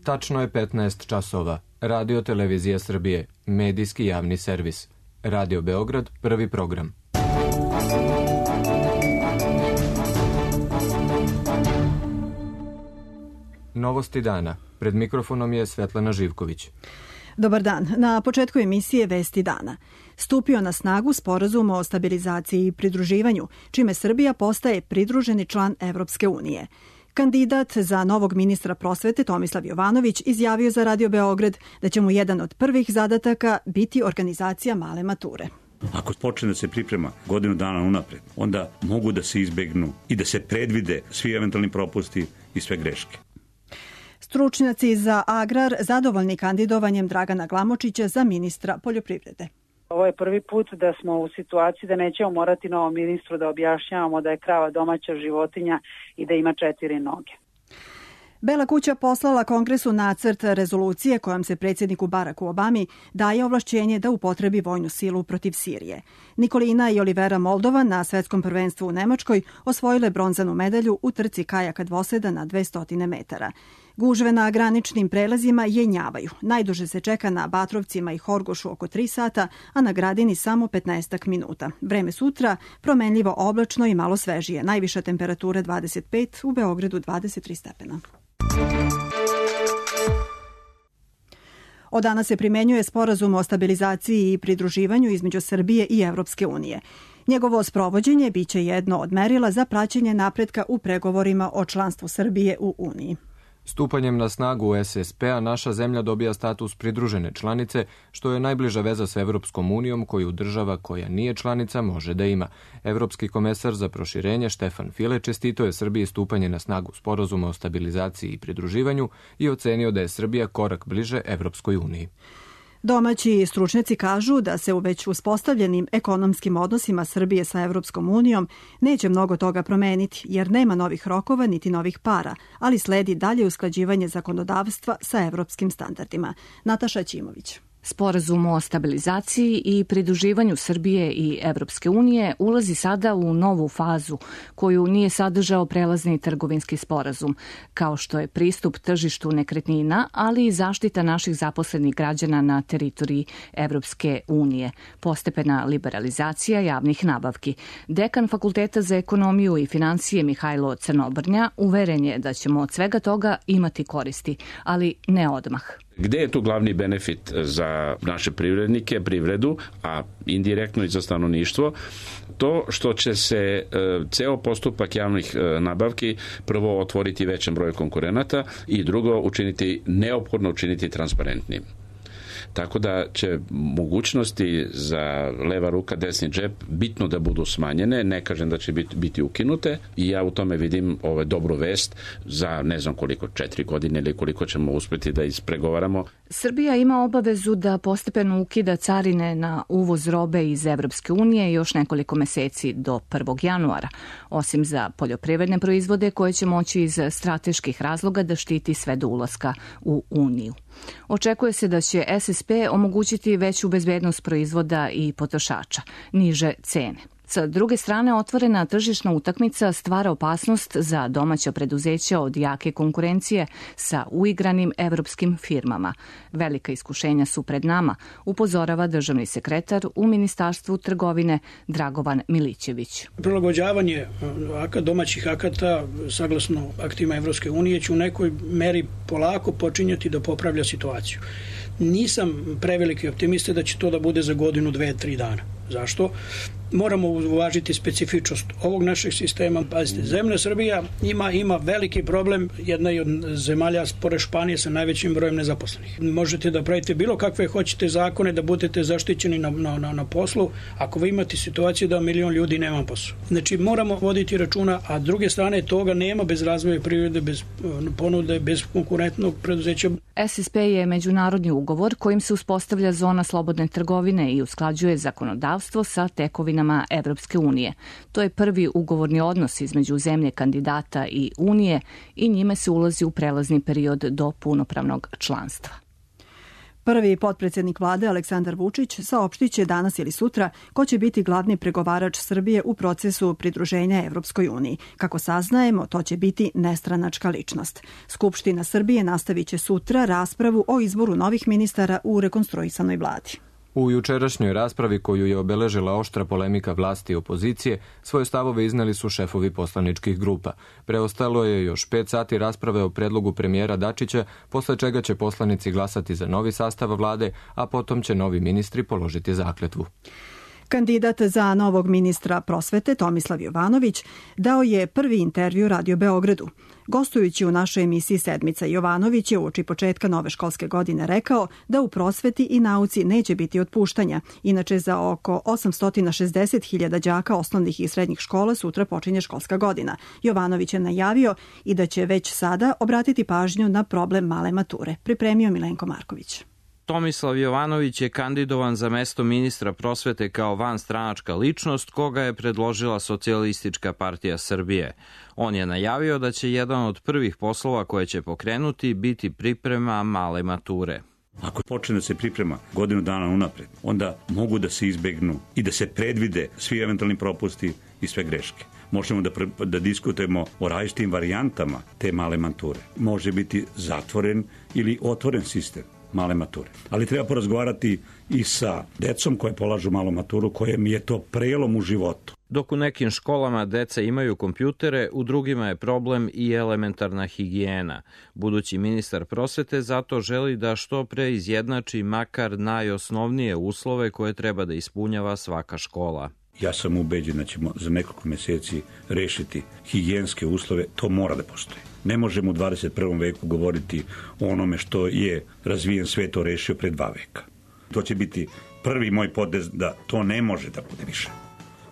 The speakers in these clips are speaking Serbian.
Tačno je 15 časova. Radio Televizija Srbije, medijski javni servis. Radio Beograd, prvi program. Novosti dana. Pred mikrofonom je Svetlana Živković. Dobar dan. Na početku emisije Vesti dana. Stupio na snagu Sporazum o stabilizaciji i pridruživanju, čime Srbija postaje pridruženi član Evropske unije. Kandidat za novog ministra prosvete Tomislav Jovanović izjavio za Radio Beograd da će mu jedan od prvih zadataka biti organizacija male mature. Ako počne da se priprema godinu dana unapred, onda mogu da se izbegnu i da se predvide svi eventualni propusti i sve greške. Stručnjaci za agrar zadovoljni kandidovanjem Dragana Glamočića za ministra poljoprivrede. Ovo je prvi put da smo u situaciji da nećemo morati novom ministru da objašnjavamo da je krava domaća životinja i da ima 4 noge. Bela kuća poslala Kongresu nacrt rezolucije kojom se predsjedniku Baracku Obami daje ovlašćenje da upotrebi vojnu silu protiv Sirije. Nikolina i Olivera Moldova na svetskom prvenstvu u Nemačkoj osvojile bronzanu medalju u trci kajaka dvoseda na 200 metara. Gužve na graničnim prelazima jenjavaju. Najduže se čeka na Batrovcima i Horgošu oko 3 sata, a na Gradini samo 15 minuta. Vreme sutra promenljivo oblačno i malo svežije. Najviša temperatura 25, u Beogradu 23 stepena. Od danas se primenjuje Sporazum o stabilizaciji i pridruživanju između Srbije i Evropske unije. Njegovo sprovođenje biće jedno od merila za praćenje napretka u pregovorima o članstvu Srbije u Uniji. Stupanjem na snagu SSP-a naša zemlja dobija status pridružene članice, što je najbliža veza s Evropskom unijom koju država koja nije članica može da ima. Evropski komesar za proširenje Štefan File čestitao je Srbiji stupanje na snagu Sporazuma o stabilizaciji i pridruživanju i ocenio da je Srbija korak bliže Evropskoj uniji. Domaći stručnjaci kažu da se u već uspostavljenim ekonomskim odnosima Srbije sa Evropskom unijom neće mnogo toga promeniti, jer nema novih rokova niti novih para, ali sledi dalje usklađivanje zakonodavstva sa evropskim standardima. Nataša Ćimović. Sporazum o stabilizaciji i pridruživanju Srbije i Evropske unije ulazi sada u novu fazu koju nije sadržao prelazni trgovinski sporazum, kao što je pristup tržištu nekretnina, ali i zaštita naših zaposlenih građana na teritoriji Evropske unije, postepena liberalizacija javnih nabavki. Dekan Fakulteta za ekonomiju i financije Mihajlo Crnobrnja uveren je da ćemo od svega toga imati koristi, ali ne odmah. Gde je tu glavni benefit za naše privrednike, privredu, a indirektno i za stanovništvo? To što će se ceo postupak javnih nabavki prvo otvoriti većem broju konkurenata i drugo neophodno učiniti transparentnim. Tako da će mogućnosti za leva ruka, desni džep bitno da budu smanjene, ne kažem da će biti ukinute i ja u tome vidim dobru vest za ne znam koliko, 4 godine ili koliko ćemo uspeti da ispregovaramo. Srbija ima obavezu da postepeno ukida carine na uvoz robe iz Evropske unije još nekoliko meseci do 1. januara, osim za poljoprivredne proizvode koje će moći iz strateških razloga da štiti sve do ulaska u Uniju. Očekuje se da će SSP omogućiti veću bezbednost proizvoda i potrošača, niže cene. Sa druge strane, otvorena tržišna utakmica stvara opasnost za domaća preduzeća od jake konkurencije sa uigranim evropskim firmama. Velika iskušenja su pred nama, upozorava državni sekretar u Ministarstvu trgovine Dragovan Milićević. Prilagođavanje domaćih akata saglasno aktima Evropske unije će u nekoj meri polako počinjati da popravlja situaciju. Nisam preveliki optimista da će to da bude za godinu, 2, 3 dana. Zašto? Moramo uvažiti specifičnost ovog našeg sistema. Pazite, zemlja Srbija ima veliki problem, jedna je od zemalja pored Španije sa najvećim brojem nezaposlenih. Možete da pravite bilo kakve hoćete zakone, da budete zaštićeni na poslu, ako vi imate situaciju da 1 milion ljudi nema posao. Znači, moramo voditi računa, a s druge strane toga nema bez razvoja privrede, bez ponude, bez konkurentnog preduzeća. SSP je međunarodni ugovor kojim se uspostavlja zona slobodne trgovine i usklađuje zakonodavstvo sa tekovinama Evropske unije. To je prvi ugovorni odnos između zemlje kandidata i Unije i njime se ulazi u prelazni period do punopravnog članstva. Prvi potpredsjednik vlade Aleksandar Vučić saopštit će danas ili sutra ko će biti glavni pregovarač Srbije u procesu pridruženja Evropskoj uniji. Kako saznajemo, to će biti nestranačka ličnost. Skupština Srbije nastavit će sutra raspravu o izboru novih ministara u rekonstruisanoj vladi. U jučerašnjoj raspravi koju je obeležila oštra polemika vlasti i opozicije, svoje stavove izneli su šefovi poslaničkih grupa. Preostalo je još 5 sati rasprave o predlogu premijera Dačića, posle čega će poslanici glasati za novi sastav vlade, a potom će novi ministri položiti zakletvu. Kandidat za novog ministra prosvete Tomislav Jovanović dao je prvi intervju Radio Beogradu. Gostujući u našoj emisiji Sedmica, Jovanović je uoči početka nove školske godine rekao da u prosveti i nauci neće biti otpuštanja. Inače, za oko 860.000 đaka osnovnih i srednjih škola sutra počinje školska godina. Jovanović je najavio i da će već sada obratiti pažnju na problem male mature. Pripremio Milenko Marković. Tomislav Jovanović je kandidovan za mesto ministra prosvete kao vanstranačka ličnost koga je predložila Socijalistička partija Srbije. On je najavio da će jedan od prvih poslova koje će pokrenuti biti priprema male mature. Ako počne da se priprema godinu dana unapred, onda mogu da se izbegnu i da se predvide svi eventualni propusti i sve greške. Možemo da diskutujemo o različitim varijantama te male mature. Može biti zatvoren ili otvoren sistem male mature. Ali treba porazgovarati i sa decom koje polažu malu maturu, kojem je to prelom u životu. Dok u nekim školama deca imaju kompjutere, u drugima je problem i elementarna higijena. Budući ministar prosvete zato želi da što pre izjednači makar najosnovnije uslove koje treba da ispunjava svaka škola. Ja sam ubeđen da ćemo za nekoliko meseci rešiti higijenske uslove, to mora da postoji. Ne možemo u 21. veku govoriti o onome što je razvijen svet to rešio pre 2 veka. To će biti prvi moj potez da to ne može da bude više.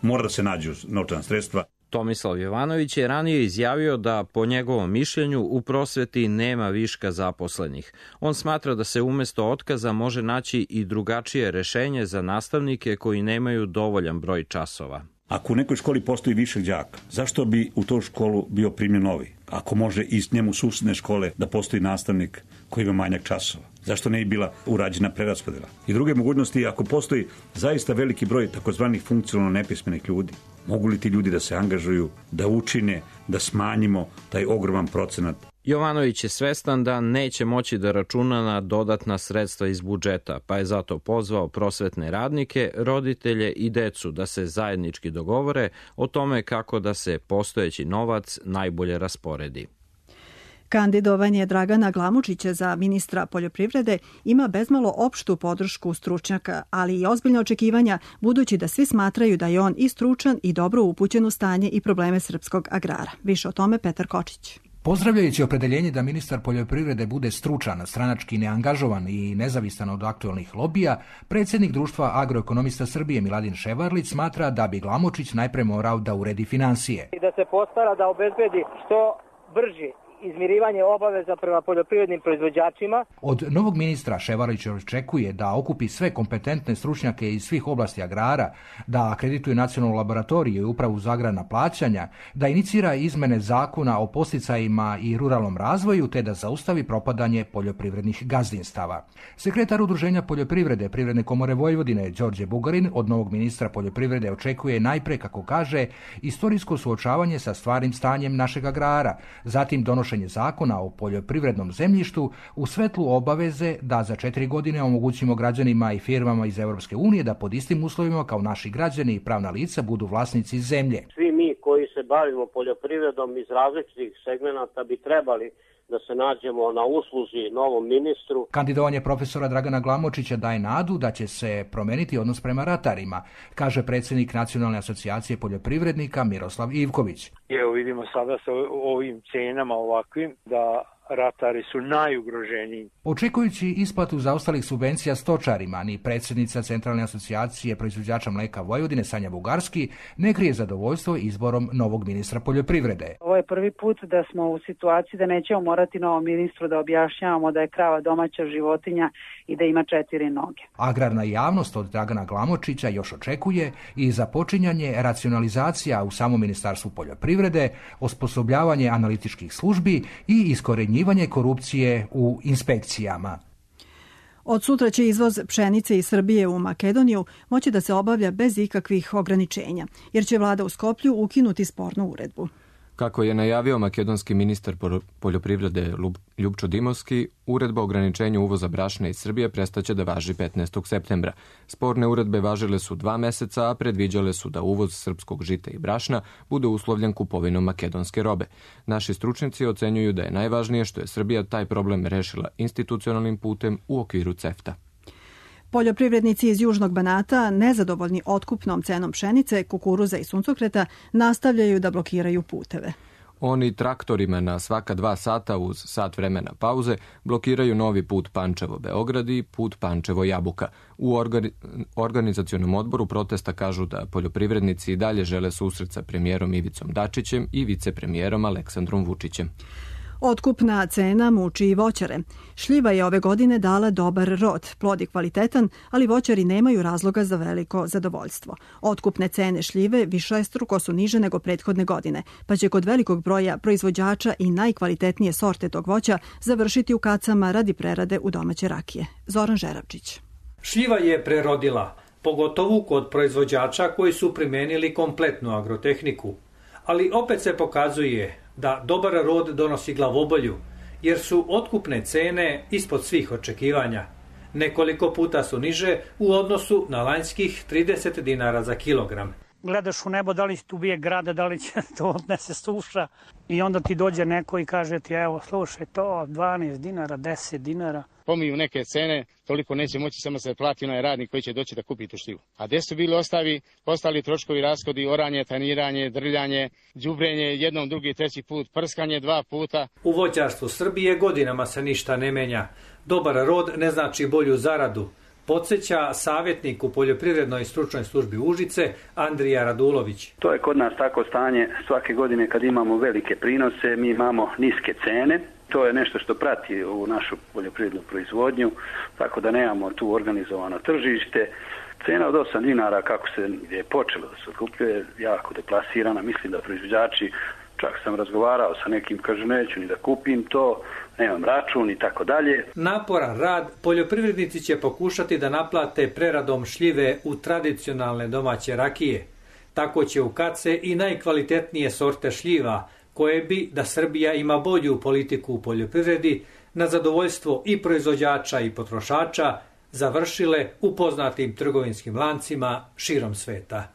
Mora da se nađu novčana sredstva. Tomislav Jovanović je ranije izjavio da, po njegovom mišljenju, u prosveti nema viška zaposlenih. On smatra da se umesto otkaza može naći i drugačije rešenje za nastavnike koji nemaju dovoljan broj časova. Ako u nekoj školi postoji više đaka, zašto bi u toj školu bio primljen novi? Ako može iz njemu susedne škole da postoji nastavnik koji ima manjak časova, zašto ne bi bila urađena preraspodela? I druge mogućnosti, ako postoji zaista veliki broj takozvanih funkcionalno nepismenih ljudi, mogu li ti ljudi da se angažuju, da učine, da smanjimo taj ogroman procenat? Jovanović je svestan da neće moći da računa na dodatna sredstva iz budžeta, pa je zato pozvao prosvetne radnike, roditelje i decu da se zajednički dogovore o tome kako da se postojeći novac najbolje rasporedi. Kandidovanje Dragana Glamočića za ministra poljoprivrede ima bezmalo opštu podršku stručnjaka, ali i ozbiljne očekivanja, budući da svi smatraju da je on i stručan i dobro upućen u stanje i probleme srpskog agrara. Više o tome Petar Kočić. Pozdravljajući opredeljenje da ministar poljoprivrede bude stručan, stranački neangažovan i nezavistan od aktuelnih lobija, predsjednik Društva agroekonomista Srbije Miladin Ševarlić smatra da bi Glamočić najpre morao da uredi finansije. I da se postara da obezbedi što brži izmirivanje obaveza prema poljoprivrednim proizvođačima. Od novog ministra Ševarlić očekuje da okupi sve kompetentne stručnjake iz svih oblasti agrara, da akredituje nacionalnu laboratoriju i upravu za agrarna plaćanja, da inicira izmene zakona o podsticajima i ruralnom razvoju, te da zaustavi propadanje poljoprivrednih gazdinstava. Sekretar Udruženja poljoprivrede Privredne komore Vojvodine Đorđe Bugarin od novog ministra poljoprivrede očekuje najpre, kako kaže, istorijsko suočavanje sa stvarnim stanjem našeg agrara, zatim donošenje zakona o poljoprivrednom zemljištu u svetlu obaveze da za 4 godine omogućimo građanima i firmama iz Evropske unije da pod istim uslovima kao naši građani i pravna lica budu vlasnici zemlje. Svi mi koji se bavimo poljoprivredom iz različitih segmenata bi trebali da se nađemo na usluzi novom ministru. Kandidovanje profesora Dragana Glamočića daje nadu da će se promeniti odnos prema ratarima, kaže predsjednik Nacionalne asocijacije poljoprivrednika Miroslav Ivković. Evo vidimo sada sa ovim cenama ovakvim da ratari su najugroženiji. Očekujući isplatu zaostalih subvencija stočarima, ni predsjednica Centralne asocijacije proizvođača mleka Vojvodine Sanja Bugarski ne krije zadovoljstvo izborom novog ministra poljoprivrede. Ovo je prvi put da smo u situaciji da nećemo morati novom ministru da objašnjavamo da je krava domaća životinja i da ima 4 noge. Agrarna javnost od Dragana Glamočića još očekuje i započinjanje racionalizacija u samom ministarstvu poljoprivrede, osposobljavanje analitičkih službi i iskorenjivanje korupcije u inspekcijama. Od sutra će izvoz pšenice iz Srbije u Makedoniju moći da se obavlja bez ikakvih ograničenja, jer će vlada u Skoplju ukinuti spornu uredbu. Kako je najavio makedonski ministar poljoprivrede Ljupčo Dimovski, uredba o ograničenju uvoza brašna iz Srbije prestaće da važi 15. septembra. Sporne uredbe važile su 2 meseca, a predviđale su da uvoz srpskog žita i brašna bude uslovljen kupovinom makedonske robe. Naši stručnjaci ocenjuju da je najvažnije što je Srbija taj problem rešila institucionalnim putem u okviru CEFTA. Poljoprivrednici iz Južnog Banata, nezadovoljni otkupnom cenom pšenice, kukuruza i suncokreta, nastavljaju da blokiraju puteve. Oni traktorima na svaka 2 sata uz sat vremena pauze blokiraju novi put Pančevo-Beograd i put Pančevo-Jabuka. U organizacionom odboru protesta kažu da poljoprivrednici i dalje žele susret sa premijerom Ivicom Dačićem i vicepremijerom Aleksandrom Vučićem. Otkupna cena muči i voćare. Šljiva je ove godine dala dobar rod, plod je kvalitetan, ali voćari nemaju razloga za veliko zadovoljstvo. Otkupne cene šljive višestruko su niže nego prethodne godine, pa će kod velikog broja proizvođača i najkvalitetnije sorte tog voća završiti u kacama radi prerade u domaće rakije. Zoran Žeravčić. Šljiva je prerodila, pogotovo kod proizvođača koji su primenili kompletnu agrotehniku. Ali opet se pokazuje da dobar rod donosi glavobolju, jer su otkupne cene ispod svih očekivanja. Nekoliko puta su niže u odnosu na lanjskih 30 dinara za kilogram. Gledaš u nebo da li će tu bije grada, da li će to odnese suša i onda ti dođe neko i kaže ti evo slušaj to 12 dinara, 10 dinara. Pomiju neke cene, toliko neće moći samo se plati onaj radnik koji će doći da kupi tu šljivu. A gde su bili ostali troškovi, rashodi, oranje, taniranje, drljanje, đubrenje, jednom, drugi, treći put, prskanje 2 puta. U voćarstvu Srbije godinama se ništa ne menja. Dobar rod ne znači bolju zaradu. Podsjeća savjetnik u poljoprivrednoj stručnoj službi Užice Andrija Radulović. To je kod nas tako stanje svake godine kad imamo velike prinose, mi imamo niske cene. To je nešto što prati u našu poljoprivrednu proizvodnju, tako da nemamo tu organizovano tržište. Cena od 8 dinara kako se je počelo da se otkupljuje jako deplasirana. Mislim da proizvođači, čak sam razgovarao sa nekim, kaže neću ni da kupim to, nemam račun i tako dalje. Naporan rad poljoprivrednici će pokušati da naplate preradom šljive u tradicionalne domaće rakije. Tako će u kace i najkvalitetnije sorte šljiva, koje bi, da Srbija ima bolju politiku u poljoprivredi, na zadovoljstvo i proizvođača i potrošača, završile u poznatim trgovinskim lancima širom sveta.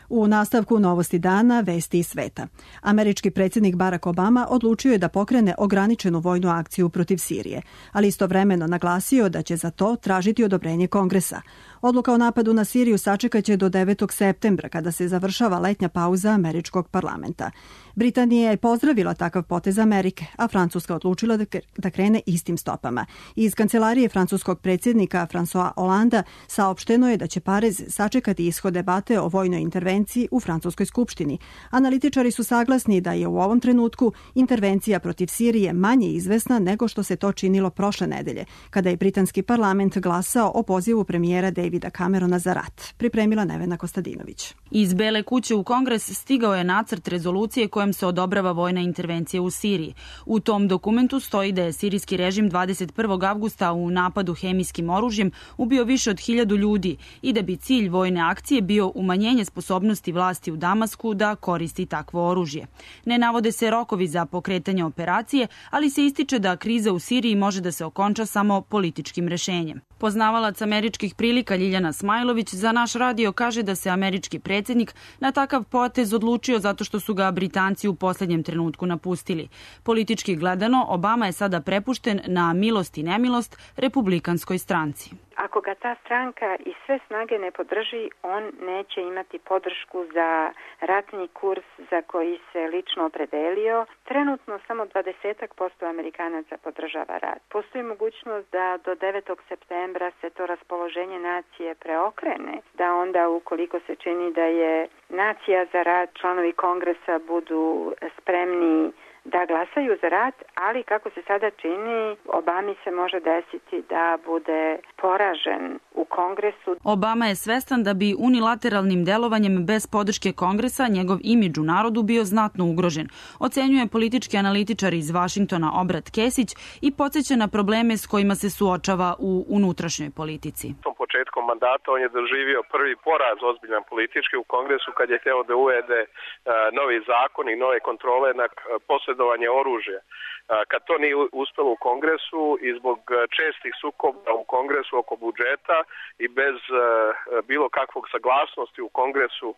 U nastavku novosti dana, vesti iz sveta. Američki predsjednik Barack Obama odlučio je da pokrene ograničenu vojnu akciju protiv Sirije, ali istovremeno naglasio da će za to tražiti odobrenje Kongresa. Odluka o napadu na Siriju sačekaće do 9. septembra, kada se završava letnja pauza američkog parlamenta. Britanija je pozdravila takav potez Amerike, a Francuska odlučila da krene istim stopama. Iz kancelarije francuskog predsjednika François Hollanda saopšteno je da će Pariz sačekati ishod debate o vojnoj intervenciji u Francuskoj skupštini. Analitičari su saglasni da je u ovom trenutku intervencija protiv Sirije manje izvesna nego što se to činilo prošle nedelje, kada je britanski parlament glasao o pozivu premijera Davida Camerona za rat. Pripremila Nevena Kostadinović. Iz Bele kuće u Kongres stigao je nacrt rezolucije kojem se odobrava vojna intervencija u Siriji. U tom dokumentu stoji da je sirijski režim 21. avgusta u napadu hemijskim oružjem ubio više od 1000 ljudi i da bi cilj vojne akcije bio umanjenje sposobnosti vlasti u Damasku da koristi takvo oružje. Ne navode se rokovi za pokretanje operacije, ali se ističe da kriza u Siriji može da se okonča samo političkim rešenjem. Poznavalac američkih prilika Ljiljana Smajlović za naš radio kaže da se američki predsjednik na takav potez odlučio zato što su ga Britanci u posljednjem trenutku napustili. Politički gledano, Obama je sada prepušten na milost i nemilost republikanskoj stranci. Ako ga ta stranka i sve snage ne podrži, on neće imati podršku za ratni kurs za koji se lično opredelio. Trenutno samo 20% Amerikanaca podržava rat. Postoji mogućnost da do 9. septembra se to raspoloženje nacije preokrene, da onda ukoliko se čini da je nacija za rat, članovi Kongresa budu spremni da glasaju za rat, ali kako se sada čini, Obami se može desiti da bude poražen u Kongresu. Obama je svestan da bi unilateralnim delovanjem bez podrške Kongresa njegov imidž u narodu bio znatno ugrožen. Ocenjuje politički analitičar iz Vašingtona Obrat Kesić i podsjeća na probleme s kojima se suočava u unutrašnjoj politici. Početkom mandata on je doživio prvi poraz ozbiljan politički u Kongresu kad je hteo da uvede novi zakon i nove kontrole na posjedovanje oružja. Kad to nije uspelo u Kongresu i zbog čestih sukoba u Kongresu oko budžeta i bez bilo kakvog saglasnosti u Kongresu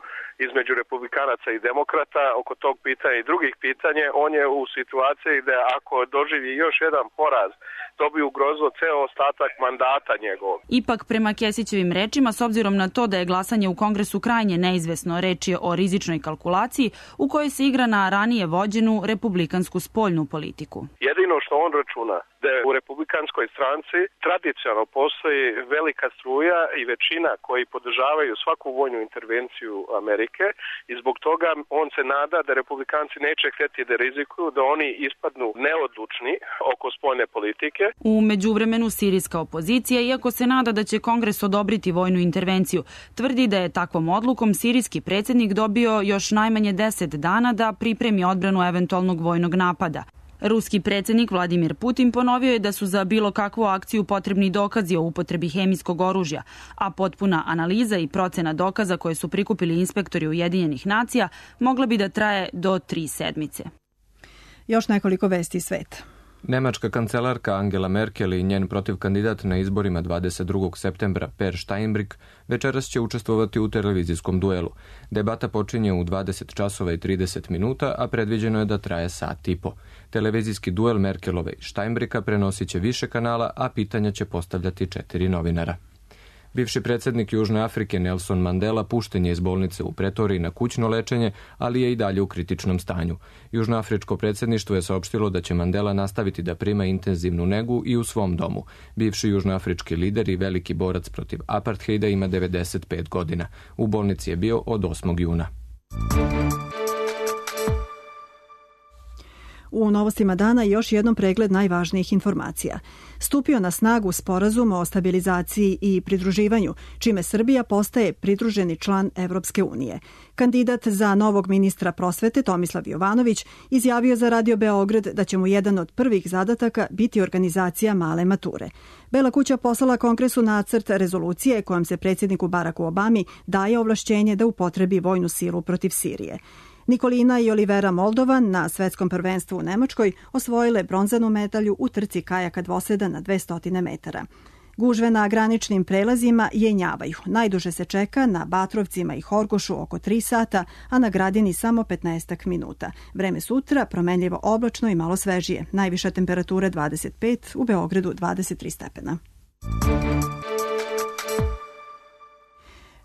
između republikanaca i demokrata oko tog pitanja i drugih pitanja, on je u situaciji da ako doživi još jedan poraz, to bi ugrozilo ceo ostatak mandata njegovog. Ipak, prema Kesićevim rečima, s obzirom na to da je glasanje u Kongresu krajnje neizvesno, reč je o rizičnoj kalkulaciji u kojoj se igra na ranije vođenu republikansku spoljnu politiku. Jedino što on računa da u republikanskoj stranci tradicionalno postoji velika struja i većina koji podržavaju svaku vojnu intervenciju Amerike i zbog toga on se nada da republikanci neće htjeti da rizikuju, da oni ispadnu neodlučni oko spoljne politike. U međuvremenu sirijska opozicija, iako se nada da će Kongres odobriti vojnu intervenciju, tvrdi da je takvom odlukom sirijski predsjednik dobio još najmanje 10 dana da pripremi odbranu eventualnog vojnog napada. Ruski predsjednik Vladimir Putin ponovio je da su za bilo kakvu akciju potrebni dokazi o upotrebi hemijskog oružja, a potpuna analiza i procena dokaza koje su prikupili inspektori Ujedinjenih nacija mogla bi da traje do 3 sedmice. Još nekoliko vesti iz sveta. Nemačka kancelarka Angela Merkel i njen protivkandidat na izborima 22. septembra Per Steinbrück večeras će učestvovati u televizijskom duelu. Debata počinje u 20 časova i 30 minuta, a predviđeno je da traje sat i po. Televizijski duel Merkelove i Steinbrücka prenosit će više kanala, a pitanja će postavljati 4 novinara. Bivši predsjednik Južne Afrike Nelson Mandela pušten je iz bolnice u Pretoriji na kućno lečenje, ali je i dalje u kritičnom stanju. Južnoafričko predsjedništvo je saopštilo da će Mandela nastaviti da prima intenzivnu negu i u svom domu. Bivši južnoafrički lider i veliki borac protiv apartheida ima 95 godina. U bolnici je bio od 8. juna. U novostima dana još jednom pregled najvažnijih informacija. Stupio na snagu sporazum o stabilizaciji i pridruživanju, čime Srbija postaje pridruženi član Evropske unije. Kandidat za novog ministra prosvete Tomislav Jovanović izjavio za Radio Beograd da će mu jedan od prvih zadataka biti organizacija male mature. Bela kuća poslala Kongresu nacrt rezolucije kojom se predsjedniku Baraku Obami daje ovlašćenje da upotrebi vojnu silu protiv Sirije. Nikolina i Olivera Moldovan na svetskom prvenstvu u Nemačkoj osvojile bronzanu medalju u trci kajaka dvoseda na 200 metara. Gužve na graničnim prelazima jenjavaju. Najduže se čeka na Batrovcima i Horgošu oko 3 sata, a na Gradini samo 15 minuta. Vreme sutra promenljivo oblačno i malo svežije. Najviša temperatura 25, u Beogradu 23 stepena.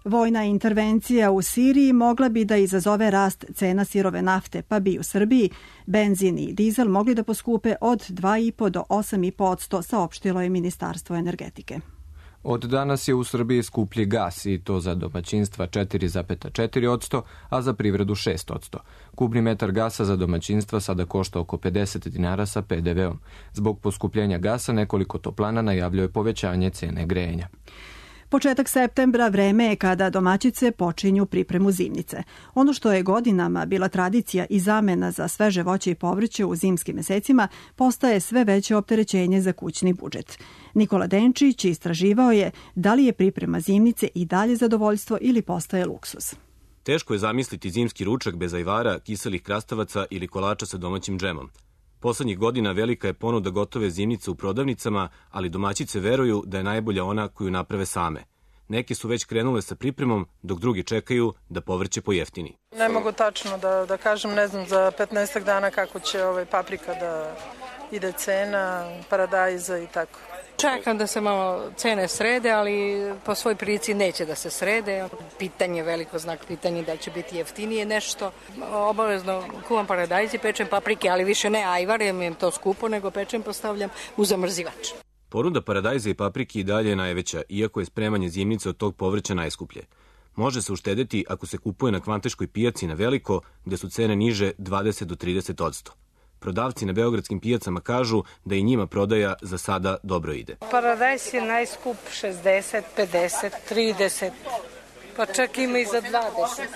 Vojna intervencija u Siriji mogla bi da izazove rast cena sirove nafte, pa bi u Srbiji benzin i dizel mogli da poskupe od 2,5 do 8,5%, saopštilo je Ministarstvo energetike. Od danas je u Srbiji skuplji gas i to za domaćinstva 4,4%, a za privredu 6%. Kubni metar gasa za domaćinstva sada košta oko 50 dinara sa PDV-om. Zbog poskupljenja gasa nekoliko toplana najavljuje povećanje cene grejanja. Početak septembra vreme je kada domaćice počinju pripremu zimnice. Ono što je godinama bila tradicija i zamena za sveže voće i povrće u zimskim mesecima postaje sve veće opterećenje za kućni budžet. Nikola Denčić istraživao je da li je priprema zimnice i dalje zadovoljstvo ili postaje luksuz. Teško je zamisliti zimski ručak bez ajvara, kiselih krastavaca ili kolača sa domaćim džemom. Poslednjih godina velika je ponuda gotove zimnice u prodavnicama, ali domaćice veruju da je najbolja ona koju naprave same. Neke su već krenule sa pripremom, dok drugi čekaju da povrće pojeftini. Ne mogu tačno da kažem, ne znam za 15 dana kako će paprika da ide cena, paradajza i tako. Čekam da se malo cene srede, ali po svoj prilici neće da se srede. Pitanje, veliko znak pitanja da će biti jeftinije nešto. Obavezno kuvam paradajz i pečem paprike, ali više ne ajvar, jer mi je to skupo, nego pečem postavljam u zamrzivač. Ponuda paradajza i paprike i dalje je najveća, iako je spremanje zimnice od tog povrća najskuplje. Može se uštedeti ako se kupuje na kvanteškoj pijaci na veliko, gde su cene niže 20 do 30%. Prodavci na beogradskim pijacama kažu da i njima prodaja za sada dobro ide. Paradajz je najskup 60, 50, 30, pa čak ima i za 20.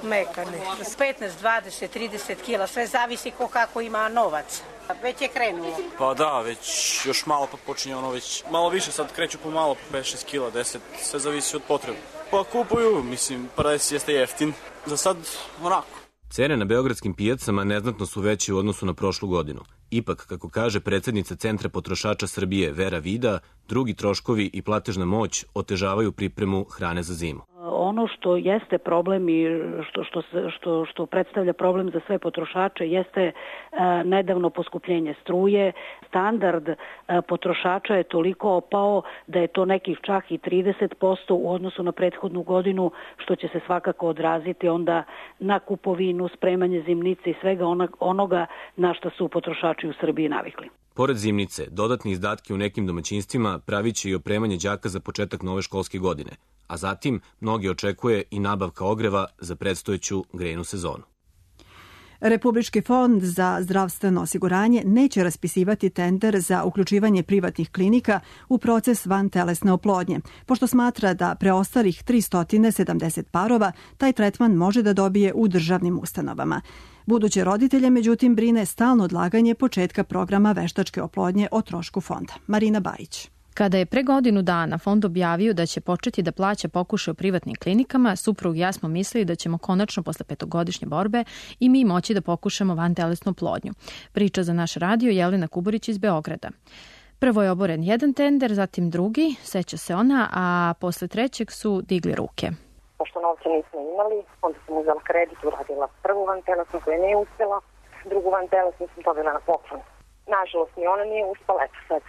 Mekane. 15, 20, 30 kila, sve zavisi ko kako ima novac. Već je krenulo. Pa da, već još malo pa počinje ono već malo više, sad kreću po malo, po 5-6 kila, 10, sve zavisi od potrebe. Pa kupuju, mislim, paradajz jeste jeftin, za sad onako. Cene na beogradskim pijacama neznatno su veće u odnosu na prošlu godinu. Ipak, kako kaže predsednica Centra potrošača Srbije Vera Vida, drugi troškovi i platežna moć otežavaju pripremu hrane za zimu. Ono što jeste problem i što predstavlja problem za sve potrošače jeste nedavno poskupljenje struje. Standard potrošača je toliko opao da je to nekih čak i 30% u odnosu na prethodnu godinu, što će se svakako odraziti onda na kupovinu, spremanje zimnice i svega onoga na što su potrošači u Srbiji navikli. Pored zimnice, dodatni izdatki u nekim domaćinstvima pravit će i opremanje đaka za početak nove školske godine, a zatim mnogi očekuje i nabavka ogreva za predstojeću grejnu sezonu. Republički fond za zdravstveno osiguranje neće raspisivati tender za uključivanje privatnih klinika u proces vantelesne oplodnje, pošto smatra da preostalih 370 parova taj tretman može da dobije u državnim ustanovama. Buduće roditelje, međutim, brine stalno odlaganje početka programa veštačke oplodnje o trošku fonda. Marina Bajić. Kada je pre godinu dana fond objavio da će početi da plaća pokušaje u privatnim klinikama, suprug i ja smo mislili da ćemo konačno posle 5-godišnje borbe i mi moći da pokušamo vantelesnu oplodnju. Priča za naš radio Jelena Kuburić iz Beograda. Prvo je oboren jedan tender, zatim drugi, seća se ona, a posle trećeg su digli ruke. Pošto novca nismo imali, onda sam uzela kredit, uradila prvu vantelesnu koja nije uspela, drugu vantelesnu sam dobila na poklon. Nažalost, ni ona nije uspela, eto sad.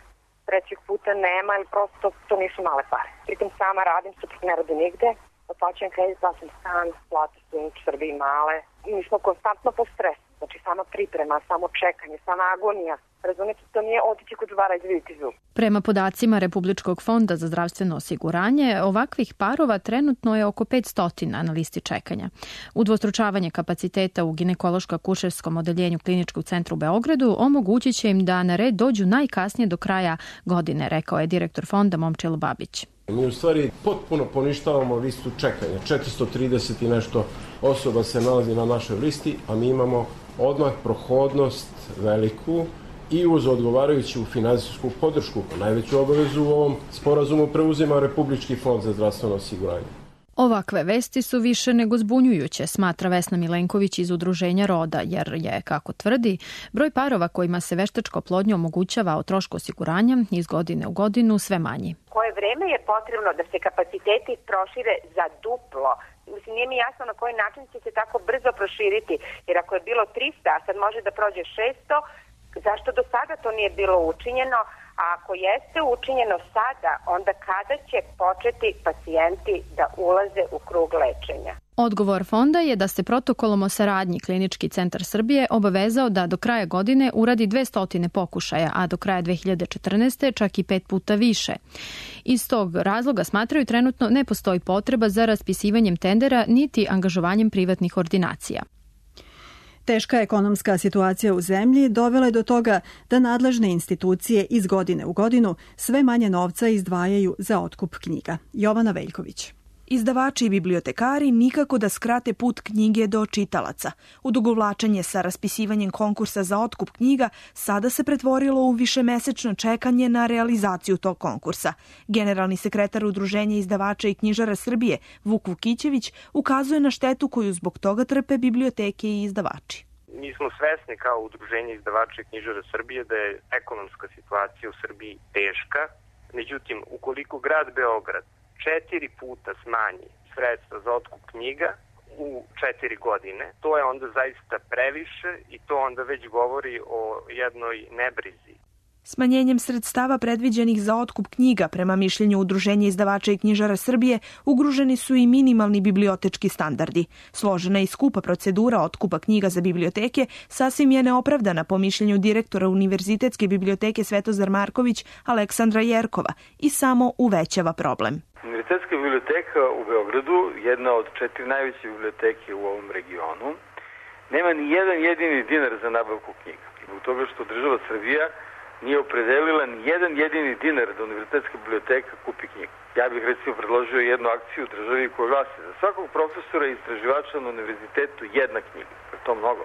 Trećeg puta nema, ili prosto to nisu male pare. Pritom sama radim, suprug ne radi nigde, otplaćujem kredit, plaćam stan, plate su u Srbiji male. Mi smo konstantno po stresu, znači sama priprema, samo čekanje, sama agonija. Razumete, to nije otići kod zvara i vidjeti zub. Prema podacima Republičkog fonda za zdravstveno osiguranje, ovakvih parova trenutno je oko 500 na listi čekanja. Udvostručavanje kapaciteta u ginekološko-akušerskom odeljenju Kliničkog centra u Beogradu omogućit će im da na red dođu najkasnije do kraja godine, rekao je direktor fonda Momčilo Babić. Mi u stvari potpuno poništavamo listu čekanja. 430 i nešto osoba se nalazi na našoj listi, a mi imamo odmah prohodnost veliku i uz odgovarajuću finansijsku podršku. Najveću obavezu u ovom sporazumu preuzima Republički fond za zdravstveno osiguranje. Ovakve vesti su više nego zbunjujuće, smatra Vesna Milenković iz Udruženja Roda, jer je, kako tvrdi, broj parova kojima se veštačka oplodnja omogućava o trošku osiguranja iz godine u godinu sve manji. Koje vreme je potrebno da se kapaciteti prošire za duplo? Mislim, nije mi jasno na koji način će se tako brzo proširiti, jer ako je bilo 300, a sad može da prođe 600, zašto do sada to nije bilo učinjeno? A ako jeste učinjeno sada, onda kada će početi pacijenti da ulaze u krug lečenja? Odgovor fonda je da se protokolom o saradnji Klinički centar Srbije obavezao da do kraja godine uradi 200 pokušaja, a do kraja 2014. čak i 5 puta više. Iz tog razloga smatraju trenutno ne postoji potreba za raspisivanjem tendera niti angažovanjem privatnih ordinacija. Teška ekonomska situacija u zemlji dovela je do toga da nadležne institucije iz godine u godinu sve manje novca izdvajaju za otkup knjiga. Jovana Veljković. Izdavači i bibliotekari nikako da skrate put knjige do čitalaca. Odugovlačenje sa raspisivanjem konkursa za otkup knjiga sada se pretvorilo u višemesečno čekanje na realizaciju tog konkursa. Generalni sekretar Udruženja izdavača i knjižara Srbije, Vuk Vukićević, ukazuje na štetu koju zbog toga trpe biblioteke i izdavači. Mi smo svesni kao Udruženje izdavača i knjižara Srbije da je ekonomska situacija u Srbiji teška. Međutim, ukoliko grad Beograd 4 puta smanji sredstva za otkup knjiga u 4 godine, to je onda zaista previše i to onda već govori o jednoj nebrizi. Smanjenjem sredstava predviđenih za otkup knjiga, prema mišljenju Udruženja izdavača i knjižara Srbije, ugroženi su i minimalni bibliotečki standardi. Složena i skupa procedura otkupa knjiga za biblioteke sasvim je neopravdana, po mišljenju direktora Univerzitetske biblioteke Svetozar Marković Aleksandra Jerkova, i samo uvećava problem. Univerzitetska biblioteka u Beogradu, jedna od 4 najveće biblioteke u ovom regionu, nema ni jedan jedini dinar za nabavku knjiga. Zbog toga što država Srbija nije opredelila ni jedan jedini dinar da Univerzitetska biblioteka kupi knjigu. Ja bih recimo predložio jednu akciju u državi koja glasi za svakog profesora i istraživača na univerzitetu jedna knjiga. To je mnogo.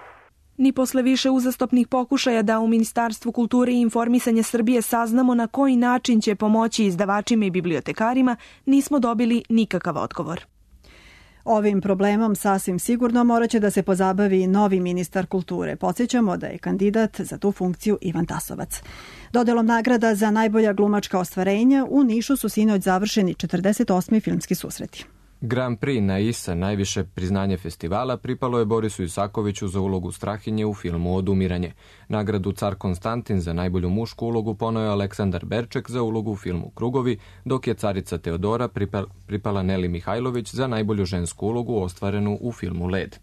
Ni posle više uzastopnih pokušaja da u Ministarstvu kulture i informisanja Srbije saznamo na koji način će pomoći izdavačima i bibliotekarima, nismo dobili nikakav odgovor. Ovim problemom sasvim sigurno morat će da se pozabavi novi ministar kulture. Podsjećamo da je kandidat za tu funkciju Ivan Tasovac. Dodelom nagrada za najbolja glumačka ostvarenja u Nišu su sinoć završeni 48. filmski susreti. Grand Prix na ISA, najviše priznanje festivala, pripalo je Borisu Isakoviću za ulogu Strahinje u filmu Odumiranje. Nagradu Car Konstantin za najbolju mušku ulogu poneo je Aleksandar Berček za ulogu u filmu Krugovi, dok je carica Teodora pripala Neli Mihajlović za najbolju žensku ulogu ostvarenu u filmu Led.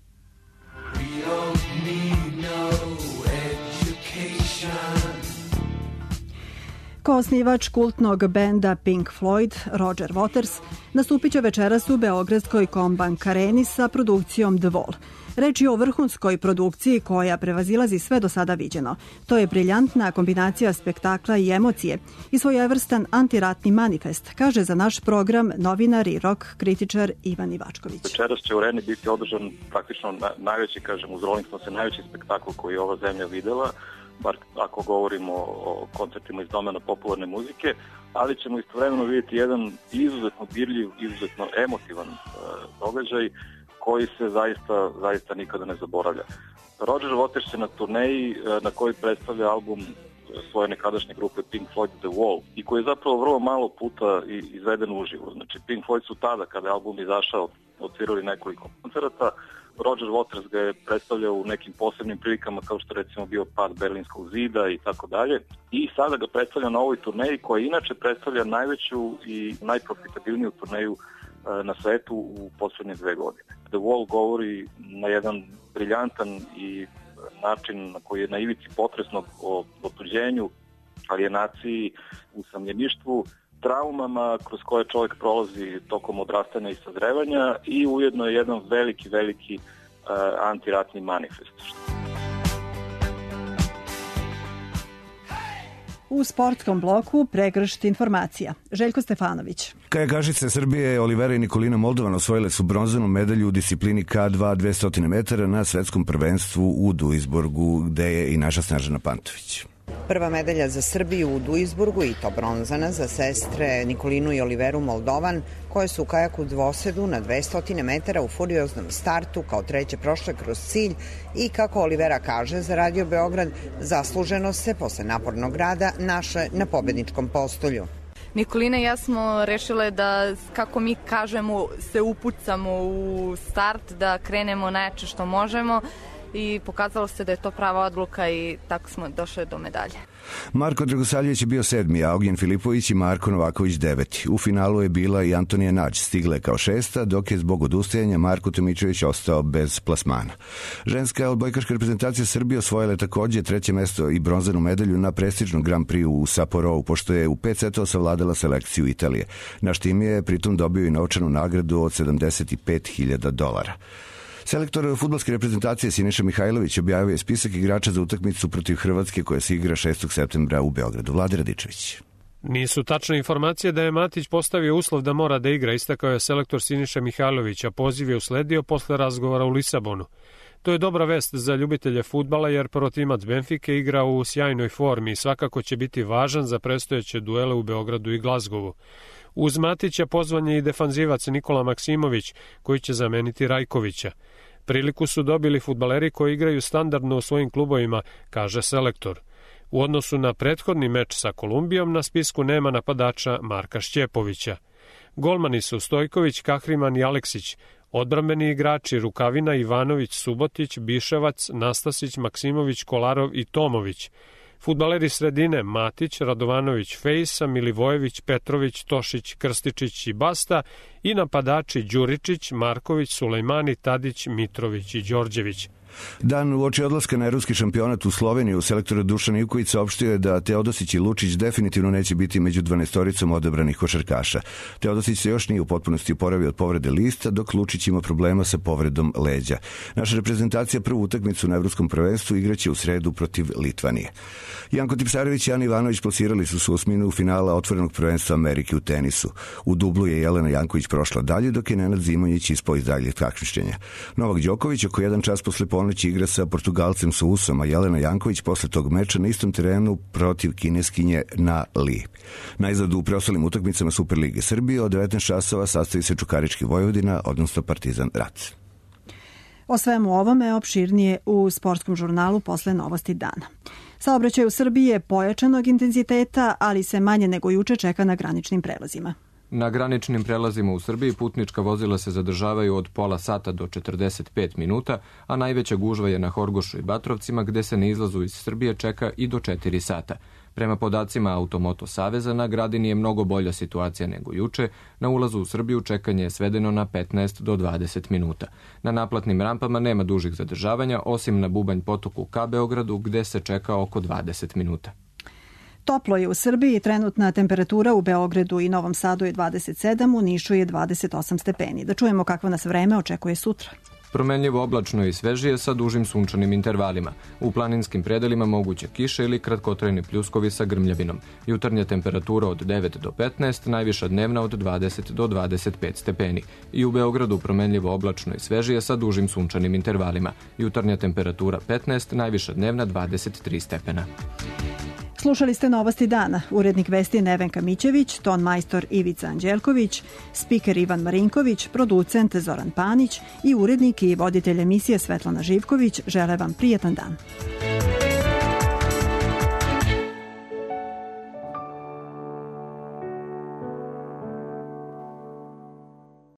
Ko osnivač kultnog benda Pink Floyd, Roger Waters, nastupit će večeras u beogradskoj Kombank areni sa produkcijom The Wall. Reč je o vrhunskoj produkciji koja prevazilazi sve do sada viđeno. To je briljantna kombinacija spektakla i emocije i svojevrstan antiratni manifest, kaže za naš program novinar i rock kritičar Ivan Ivačković. Večeras će u areni biti održan praktično najveći, uz Rolling Stones, najveći spektakl koji je ova zemlja videla, bar ako govorimo o koncertima iz domena popularne muzike, ali ćemo istovremeno vidjeti jedan izuzetno dirljiv, izuzetno emotivan događaj koji se zaista nikada ne zaboravlja. Roger Waters je na turneji na kojoj predstavlja album svoje nekadašnje grupe Pink Floyd The Wall i koji je zapravo vrlo malo puta izveden uživo. Znači Pink Floyd su tada, kada je album izašao, odsvirali nekoliko koncerata. Roger Waters ga je predstavljao u nekim posebnim prilikama kao što recimo bio pad Berlinskog zida i tako dalje. I sada ga predstavlja na ovoj turneji koja inače predstavlja najveću i najprofitabilniju turneju na svetu u poslednje 2 godine. The Wall govori na jedan briljantan i način na koji je na ivici potresnog o otuđenju, alijenaciji, usamljeništvu, traumama kroz koje čovjek prolazi tokom odrastanja i sazrevanja i ujedno je jedan veliki antiratni manifest. U sportskom bloku pregršt informacija. Željko Stefanović. Kajakašice Srbije Olivera i Nikolina Moldovan osvojile su bronzanu medalju u disciplini K2 200 metara na svetskom prvenstvu u Duisburgu, gde je i naša Snežana Pantović. Prva medalja za Srbiju u Duisburgu i to bronzana za sestre Nikolinu i Oliveru Moldovan, koje su u kajaku dvosedu na 200 metara u furioznom startu kao treće prošle kroz cilj i, kako Olivera kaže za Radio Beograd, zasluženo se posle napornog rada naše na pobedničkom postolju. Nikolina i ja smo rešile da, kako mi kažemo, se upucamo u start, da krenemo najjače što možemo i pokazalo se da je to prava odluka i tako smo došli do medalje. Marko Dragosaljević je bio 7. a Ognjen Filipović i Marko Novaković 9. U finalu je bila i Antonija Nađ, stigla je kao 6. dok je zbog odustajanja Marko Tomičević ostao bez plasmana. Ženska odbojkaška reprezentacija Srbije osvojila je takođe 3. mesto i bronzanu medalju na prestižnom Grand Prix u Sapporovu, pošto je u 5 setova savladala selekciju Italije. Naš tim je pritom dobio i novčanu nagradu od $75.000. Selektor fudbalske reprezentacije Siniša Mihajlović objavio je spisak igrača za utakmicu protiv Hrvatske koja se igra 6. septembra u Beogradu. Vlade Radičević. Nisu tačne informacije da je Matić postavio uslov da mora da igra, istakao je selektor Siniša Mihajlović, a poziv je usledio posle razgovora u Lisabonu. To je dobra vest za ljubitelje fudbala jer protimac Benfike igra u sjajnoj formi i svakako će biti važan za predstojeće duele u Beogradu i Glazgovu. Uz Matića pozvan je i defanzivac Nikola Maksimović, koji će zameniti Rajkovića. Priliku su dobili fudbaleri koji igraju standardno u svojim klubovima, kaže selektor. U odnosu na prethodni meč sa Kolumbijom na spisku nema napadača Marka Šćepovića. Golmani su Stojković, Kahriman i Aleksić, odbrambeni igrači Rukavina, Ivanović, Subotić, Biševac, Nastasić, Maksimović, Kolarov i Tomović. Fudbaleri sredine Matić, Radovanović, Fejsa, Milivojević, Petrović, Tošić, Krstičić i Basta i napadači Đuričić, Marković, Sulejmani, Tadić, Mitrović i Đorđević. Dan uoči odlaska na ruski šampionat u Sloveniju, selektor Dušan Ivković saopštio je da Teodosić i Lučić definitivno neće biti među 12-oricom odabranih košarkaša. Teodosić se još nije u potpunosti oporavio od povrede lista, dok Lučić ima problema sa povredom leđa. Naša reprezentacija prvu utakmicu na evropskom prvenstvu igraće u sredu protiv Litvanije. Janko Tipsarević i Ana Ivanović plasirali su se u osminu finala otvorenog prvenstva Amerike u tenisu. U dublu je Jelena Janković prošla dalje, dok je Nenad Zimonjić ispao iz daljeg takmičenja. Novak Đoković oko jedan čas posle ponoći igra sa Portugalcem Sousom, a Jelena Janković posle tog meča na istom terenu protiv Kineskinje Na Li. Najzad u preostalim utakmicama Superlige Srbije od 19 časova sastavi se Čukarički Vojvodina, odnosno Partizan Rac. O svemu ovome opširnije u sportskom žurnalu posle novosti dana. Saobraćaj u Srbiji je pojačanog intenziteta, ali se manje nego juče čeka na graničnim prelazima. Na graničnim prelazima u Srbiji putnička vozila se zadržavaju od pola sata do 45 minuta, a najveća gužva je na Horgošu i Batrovcima, gde se na izlazu iz Srbije čeka i do 4 sata. Prema podacima Automoto Saveza, na Gradini je mnogo bolja situacija nego juče. Na ulazu u Srbiju čekanje je svedeno na 15 do 20 minuta. Na naplatnim rampama nema dužih zadržavanja, osim na Bubanj potoku ka Beogradu, gde se čeka oko 20 minuta. Toplo je u Srbiji, trenutna temperatura u Beogradu i Novom Sadu je 27, u Nišu je 28 stepeni. Da čujemo kakvo nas vreme očekuje sutra. Promenljivo oblačno i svežije sa dužim sunčanim intervalima. U planinskim predelima moguće kiše ili kratkotrajni pljuskovi sa grmljavinom. Jutarnja temperatura od 9 do 15, najviša dnevna od 20 do 25 stepeni. I u Beogradu promenljivo oblačno i svežije sa dužim sunčanim intervalima. Jutarnja temperatura 15, najviša dnevna 23 stepena. Slušali ste novosti dana. Urednik vesti Nevenka Mićević, ton majstor Ivica Anđelković, spiker Ivan Marinković, producent Zoran Panić i urednik i voditelj emisije Svetlana Živković žele vam prijatan dan.